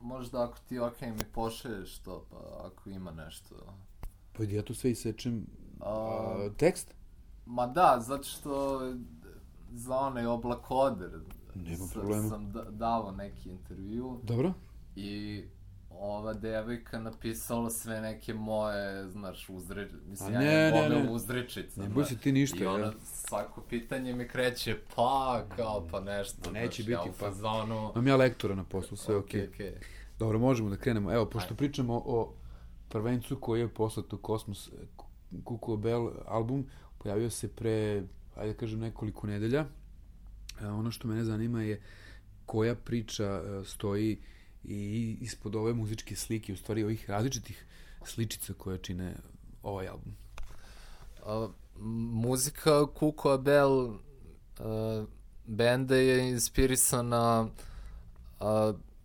možda ako ti mi pošalješ to, pa ako ima nešto. Pa ja tu sve isečem tekst? Ma da, zato što za onaj Oblakoder sam dao neki intervju. Dobro. I ova devojka napisala sve neke moje, znaš, mislim, ja ne uzrečice. Ne boj se ti ništa. I ona svako pitanje mi kreće, pa nešto. Neće biti, pa zonu... Imam ja lektora na poslu, sve okej. Dobro, možemo da krenemo. Evo, pošto pričamo o prvencu koji je poslat u Kosmos, Kuko Bell album, pojavio se pre, ajde da kažem, nekoliko nedelja. Ono što mene zanima je koja priča stoji i ispod ove muzičke slike, u stvari ovih različitih sličica koje čine ovaj album. Muzika Kuko Bell benda je inspirisana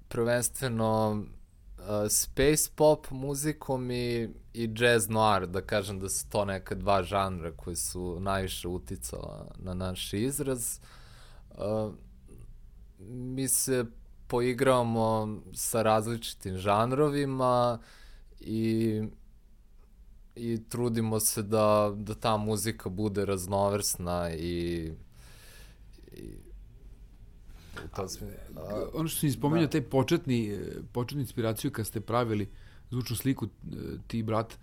prvenstveno space pop muzikom i jazz noir, da kažem da su to neka dva žanra koji su najviše uticala na naš izraz. Mi se poigravamo sa različitim žanrovima i trudimo se da ta muzika bude raznovrsna i ono što si spominjao, taj početni inspiraciju kad ste pravili zvučnu sliku, ti i brat,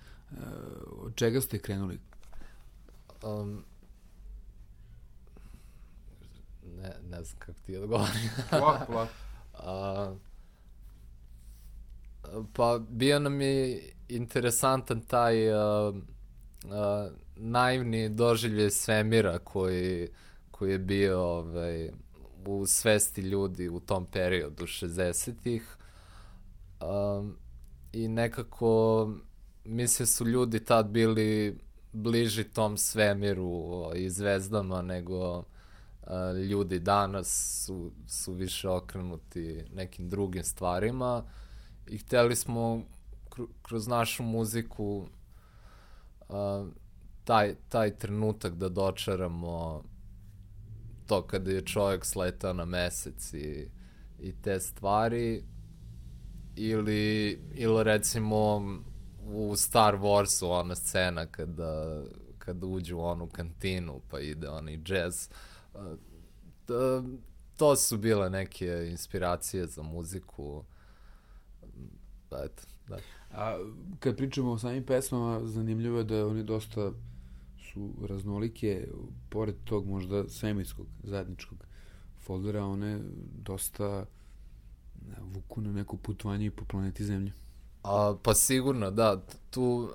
od čega ste krenuli? Ne znam kako ti odgovorim. Plak. Pa bio nam je interesantan taj naivni doživljaj svemira koji je bio u svesti ljudi u tom periodu 60-ih. I nekako mislim su ljudi tad bili bliži tom svemiru i zvezdama nego ljudi danas su više okrenuti nekim drugim stvarima i hteli smo kroz našu muziku taj trenutak da dočaramo to kada je čovjek sletao na mesec i te stvari ili recimo u Star Warsu ona scena kada uđu u onu kantinu pa ide onaj jazz. To su bile neke inspiracije za muziku. Eto, da. A kad pričamo o samim pesmama, zanimljivo je da one dosta su raznolike, pored tog možda svemirskog zajedničkog foldera, one dosta vuku na neko putovanje i po planeti Zemlje. Pa sigurno, da. Tu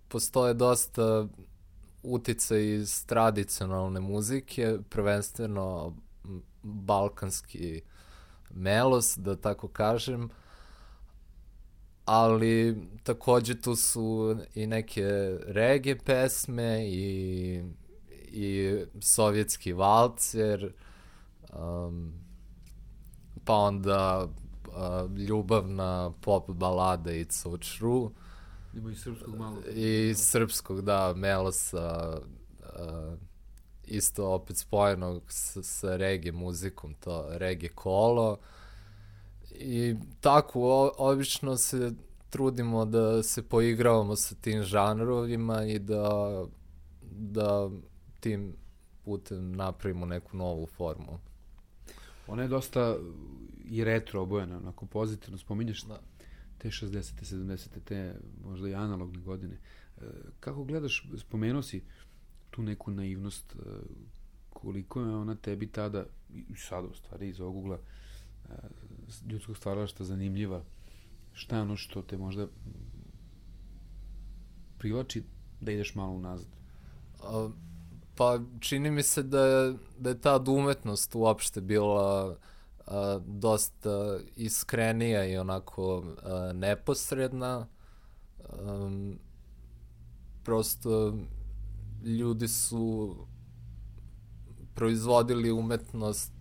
postoje dosta uticaj iz tradicionalne muzike, prvenstveno balkanski melos, da tako kažem, ali takođe tu su i neke reggae pesme i sovjetski valcer, pa onda ljubavna pop balada It's So True. Ima i srpskog malo. I srpskog, da, melosa, isto opet spojenog sa reggae muzikom, to reggae kolo. I tako, obično se trudimo da se poigravamo sa tim žanrovima i da tim putem napravimo neku novu formu. Ona je dosta i retro obojena, onako pozitivno spominješ te 60. 70. te možda i analogne godine. Kako gledaš, spomenuo si tu neku naivnost, koliko je ona tebi tada, i sada u stvari iz ovog ugla ljudskog stvaralaštva zanimljiva, šta je ono što te možda privlači da ideš malo unazad? Pa čini mi se da je ta umetnost uopšte bila dosta iskrenija i onako neposredna. Prosto ljudi su proizvodili umetnost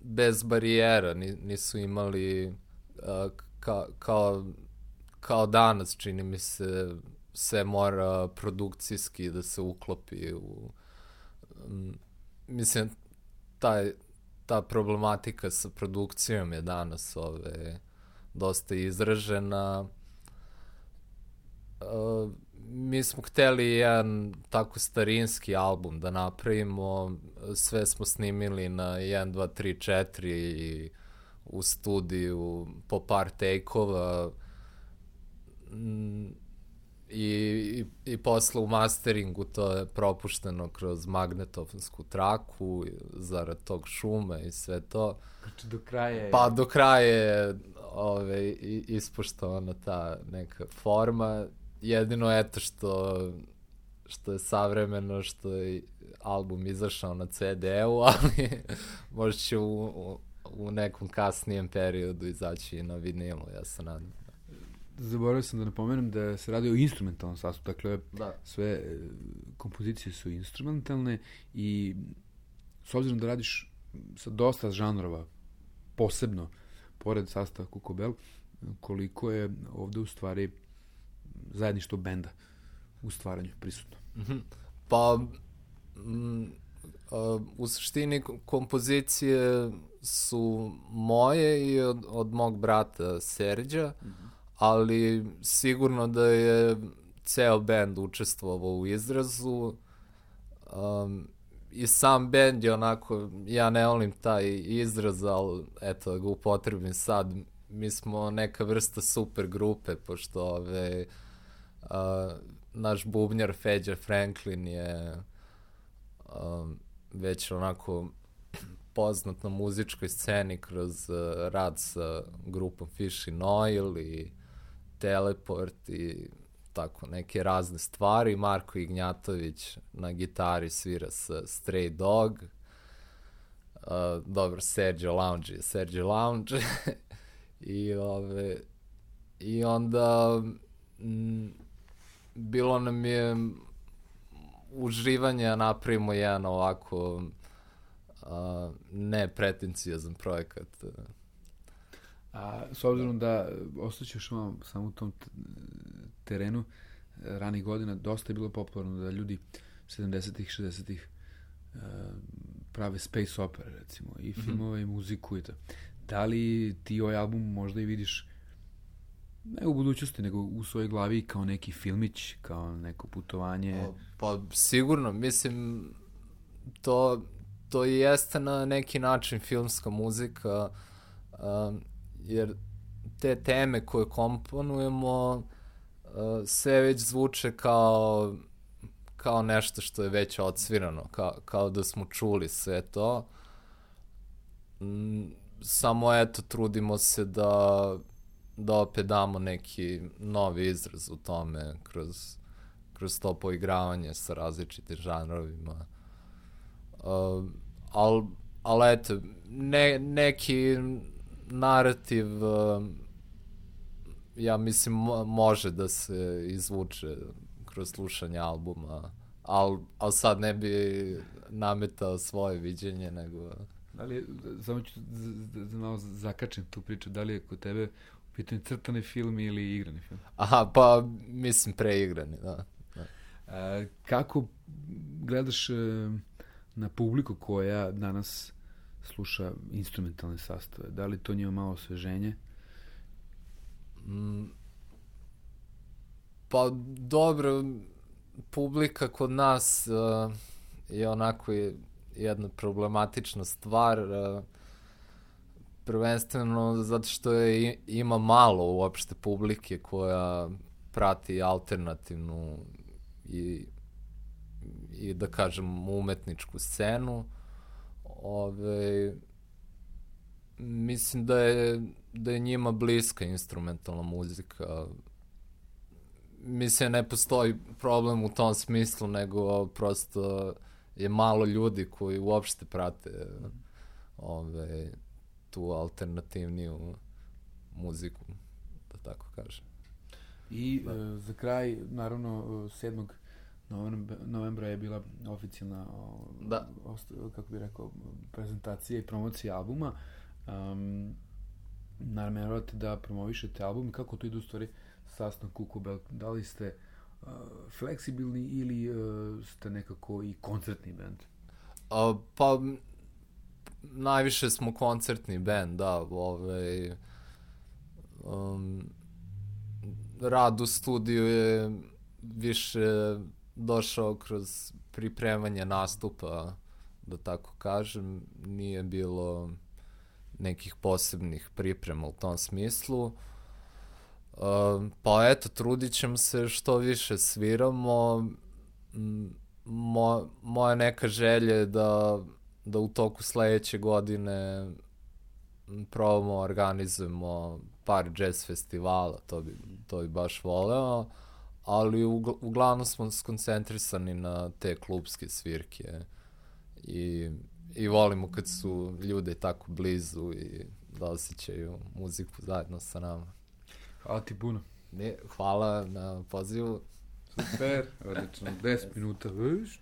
bez barijera, nisu imali kao danas, čini mi se, sve mora produkcijski da se uklopi u... Mislim, ta problematika sa produkcijom je danas dosta izražena. Mi smo hteli jedan tako starinski album da napravimo, sve smo snimili na 1, 2, 3, 4 i u studiju po par take-ova i posle u masteringu to je propušteno kroz magnetofonsku traku zarad tog šuma i sve to. Znači do kraja je... Pa do kraja je ispoštovana ta neka forma. Jedino eto što je savremeno, što je album izašao na CD-u, ali možda će u nekom kasnijem periodu izaći i na vinilu, ja se nadam. Zaboravio sam da napomenem da se radi o instrumentalnom sastavu, dakle sve kompozicije su instrumentalne i s obzirom da radiš sa dosta žanrova, posebno pored sastava Kuko Bell, koliko je ovde u stvari zajedništvo benda u stvaranju prisutno? Pa u suštini kompozicije su moje i od mog brata Serđa, ali sigurno da je ceo bend učestvovao u izrazu. I sam bend je onako, ja ne volim taj izraz, ali eto da ga upotrebim sad, mi smo neka vrsta super grupe, pošto naš bubnjar Feđa Franklin je već onako poznat na muzičkoj sceni kroz rad sa grupom Fish and Oil i Teleport i tako neke razne stvari. Marko Ignjatović na gitari svira sa Stray Dog. Dobro, Sergio Lounge je Sergio Lounge. I onda bilo nam je uživanje, napravimo jedan ovako nepretenciozan projekat. A s obzirom da ostaćeš samo u tom terenu ranih godina, dosta je bilo popularno da ljudi 70-ih, 60-ih prave space opera, recimo, i filmove i muziku i to. Da li ti ovaj album možda i vidiš ne u budućnosti, nego u svojoj glavi kao neki filmić, kao neko putovanje? Pa sigurno, mislim, to i jeste na neki način filmska muzika, jer te teme koje komponujemo sve već zvuče kao nešto što je već odsvirano, kao da smo čuli sve to. Samo eto, trudimo se da opet damo neki novi izraz u tome kroz to poigravanje sa različitim žanrovima. Ali eto, neki narativ ja mislim može da se izvuče kroz slušanje albuma, ali sad ne bi nametao svoje viđenje, nego... Da li je, samo ću da malo zakačem tu priču, da li je kod tebe u pitanju crtani film ili igrani film? Aha, pa mislim preigrani, da. Kako gledaš na publiku koja danas sluša instrumentalne sastave? Da li to njima malo osveženje? Pa dobro, publika kod nas je onako jedna problematična stvar, prvenstveno zato što ima malo uopšte publike koja prati alternativnu i da kažem umetničku scenu. Mislim da je njima bliska instrumentalna muzika. Mislim, ne postoji problem u tom smislu, nego prosto je malo ljudi koji uopšte prate tu alternativniju muziku, da tako kažem. I za kraj, naravno, 7. novembra je bila oficijalna kako bih rekao, prezentacija i promocija albuma. Nameravate da promovišete album. Kako to ide u stvari sastav Kuko Bell? Da li ste fleksibilni ili ste nekako i koncertni band? Pa najviše smo koncertni bend, da, rad u studiju je više došao kroz pripremanje nastupa, da tako kažem, nije bilo nekih posebnih priprema u tom smislu. Pa eto, trudit ćemo se što više sviramo. Moja neka želja je da u toku sledeće godine probamo, organizujemo par jazz festivala, to bi baš voleo, ali uglavnom smo skoncentrisani na te klubske svirke i volimo kad su ljude tako blizu i da osjećaju muziku zajedno sa nama. Hvala ti puno. Hvala na pozivu. Super, odlično, 10 minuta, viš?